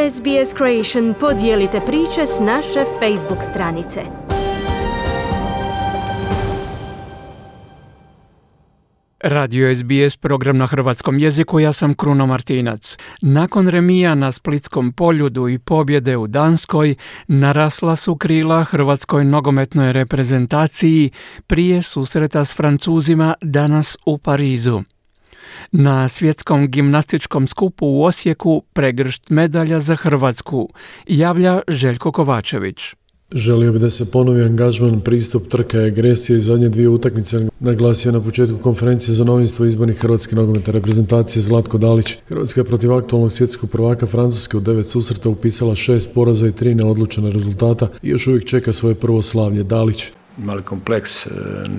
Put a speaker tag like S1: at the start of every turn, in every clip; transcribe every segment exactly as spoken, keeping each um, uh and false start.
S1: S B S Creation podijelite priče s naše Facebook stranice.
S2: Radio S B S, program na hrvatskom jeziku, ja sam Kruno Martinac. Nakon remija na Splitskom poljudu i pobjede u Danskoj, narasla su krila hrvatskoj nogometnoj reprezentaciji prije susreta s Francuzima danas u Parizu. Na svjetskom gimnastičkom skupu u Osijeku pregršt medalja za Hrvatsku, javlja Željko Kovačević.
S3: Želio bi da se ponovi angažman, pristup, trka i agresija i zadnje dvije utakmice, naglasio na početku konferencije za novinstvo izbornih hrvatske nogometne reprezentacije Zlatko Dalić. Hrvatska je protiv aktualnog svjetskog prvaka Francuske u devet susreta upisala šest poraza i tri neodlučena rezultata i još uvijek čeka svoje prvo slavlje. Dalić.
S4: Imali kompleks,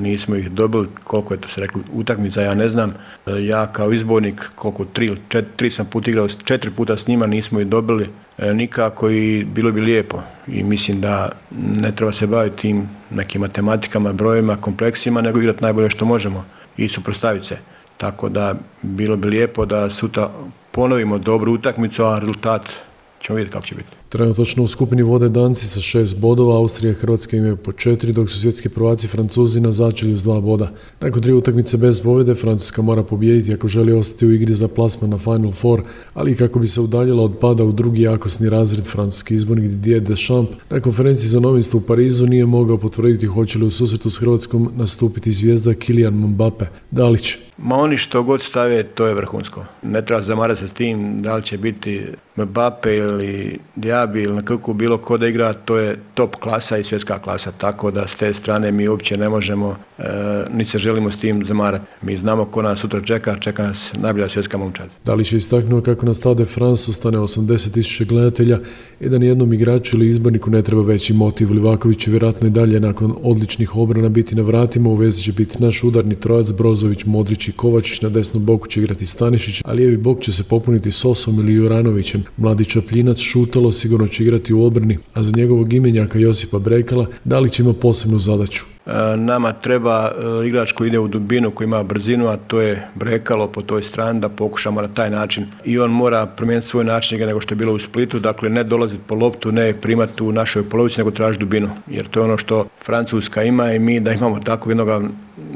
S4: nismo ih dobili, koliko je to se rekli utakmica, ja ne znam. Ja kao izbornik, koliko tri, četiri, tri sam put igrao, četiri puta s njima, nismo ih dobili nikako i bilo bi lijepo. I mislim da ne treba se baviti tim nekim matematikama, brojevima, kompleksima, nego igrati najbolje što možemo i suprotstaviti se. Tako da bilo bi lijepo da sutra ponovimo dobru utakmicu, a rezultat ćemo vidjeti kako će biti.
S3: Trenutačno u skupini vode Danci sa šest bodova, Austrija i Hrvatska imaju po četiri, dok su svjetski prvaci Francuzi na začelju s dva boda. Nakon tri utakmice bez pobjede, Francuska mora pobijediti ako želi ostati u igri za plasman na Final Four, ali i kako bi se udaljila od pada u drugi jakosni razred. Francuski izbornik Didier Deschamps na konferenciji za novinstvo u Parizu nije mogao potvrditi hoće li u susretu s Hrvatskom nastupiti zvijezda Kylian Mbappe. Dalić.
S4: Ma oni što god stave, to je vrhunsko. Ne treba zamarati se s tim da li će biti Mbappe ili Diaby ili na kako bilo ko da igra, to je top klasa i svjetska klasa, tako da s te strane mi uopće ne možemo, e, ni se želimo s tim zamarati. Mi znamo ko nas sutra čeka, čeka nas najbolja svjetska momčad.
S3: Dalić je istaknuo kako na Stade France ostane osamdeset tisuća gledatelja i da nijednom igraču ili izborniku ne treba veći motiv. Livaković će vjerojatno i dalje nakon odličnih obrana biti na vratima, u vezi će biti naš udarni trojac Brozović, Modrić i Kovačić, na desnom boku će igrati Stanišić, a lijevi bok će se popuniti Sosom ili Juranovićem. Mladi Čapljinac Šutalo sigurno će igrati u obrani, a za njegovog imenjaka Josipa Brekala Dalić ima posebnu zadaću.
S4: Nama treba igrač koji ide u dubinu, koji ima brzinu, a to je Brekalo po toj strani, da pokušamo na taj način. I on mora promijeniti svoj način nego što je bilo u Splitu, dakle ne dolaziti po loptu, ne primati u našoj polovici, nego tražiti dubinu. Jer to je ono što Francuska ima i mi da imamo tako jednog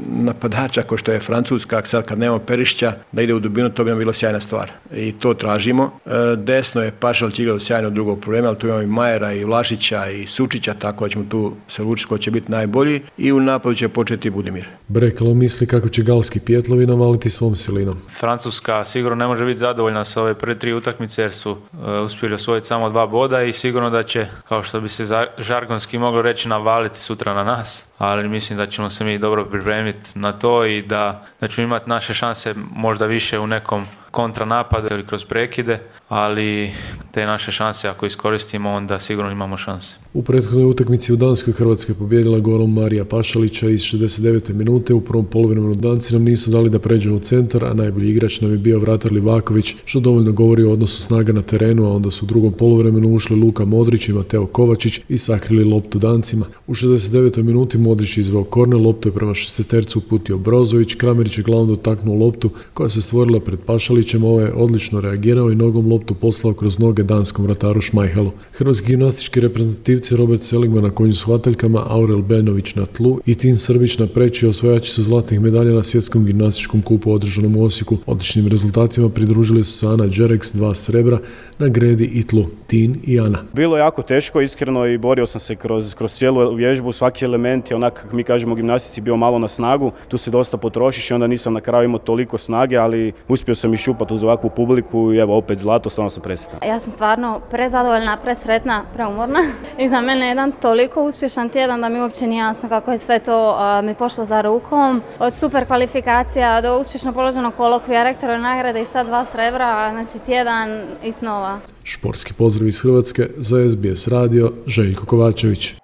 S4: napadača kao što je Francuska, sad kad nemamo Perišića, da ide u dubinu, to bi nam bilo sjajna stvar. I to tražimo. Desno je Pašalić igrao sjajno drugog problema, ali tu imamo i Majera, i Vlašića, i Sučića, tako da ćemo tu se lučiti ko će biti najbolji. I u napadu će početi Budimir.
S3: Brekalo misli kako će galski pjetlovi navaliti svom silinom.
S5: Francuska sigurno ne može biti zadovoljna sa ove prve tri utakmice jer su uh, uspjeli osvojiti samo dva boda i sigurno da će, kao što bi se za, žargonski moglo reći, navaliti sutra na nas. Ali mislim da ćemo se mi dobro pripremiti na to i da, da ćemo imati naše šanse možda više u nekom kontranapadu ili kroz prekide, ali te naše šanse ako iskoristimo, onda sigurno imamo šanse.
S3: U prethodnoj utakmici u Danskoj Hrvatska je pobijedila golom Marija Pašalića iz šezdeset devete minute. U prvom poluvremenu Danci nam nisu dali da pređemo u centar, a najbolji igrač nam je bio vratar Livaković, što dovoljno govori o odnosu snaga na terenu, a onda su u drugom poluvremenu ušli Luka Modrić i Mateo Kovačić i sakrili loptu Dancima. U šezdeset devetoj minuti Modrić je izveo korner, loptu je prema šestestercu uputio Brozović, Kramerić je glavom dotaknuo loptu koja se stvorila pred Pašalićem, ovaj je odlično reagirao i nogom loptu poslao kroz noge danskom vrataru Šmajhelu. Hrvatski gimnastički reprezentativci Robert Seligman na konju s hvataljkama, Aurel Benović na tlu i Tin Srbić na preći osvajači su zlatnih medalja na svjetskom gimnastičkom kupu održanom u Osijeku. Odličnim rezultatima pridružili su se Ana Đereks, dva srebra na gredi i tlu. Tin i Ana.
S6: Bilo je jako teško, iskreno, i borio sam se kroz, kroz cijelu vježbu. Svaki element je onak, kako mi kažemo u gimnastici, bio malo na snagu. Tu se dosta potrošiš i onda nisam na kraju imao toliko snage, ali uspio sam iščupati uz ovakvu publiku i evo opet zlato, stvarno sam presretan.
S7: Ja sam stvarno prezadovoljna, presretna, preumorna i za mene je jedan toliko uspješan tjedan da mi uopće nije jasno kako je sve to uh, mi pošlo za rukom. Od super kvalifikacija do uspješno položenog kolokvija, rektorove nagrade i sad dva srebra, znači tjedan i snova.
S3: Športski pozdrav iz Hrvatske za S B S radio, Željko Kovačević.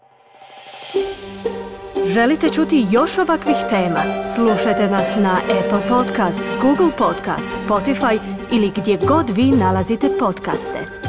S1: Želite čuti još ovakvih tema? Slušajte nas na Apple Podcast, Google Podcast, Spotify ili gdje god vi nalazite podcaste.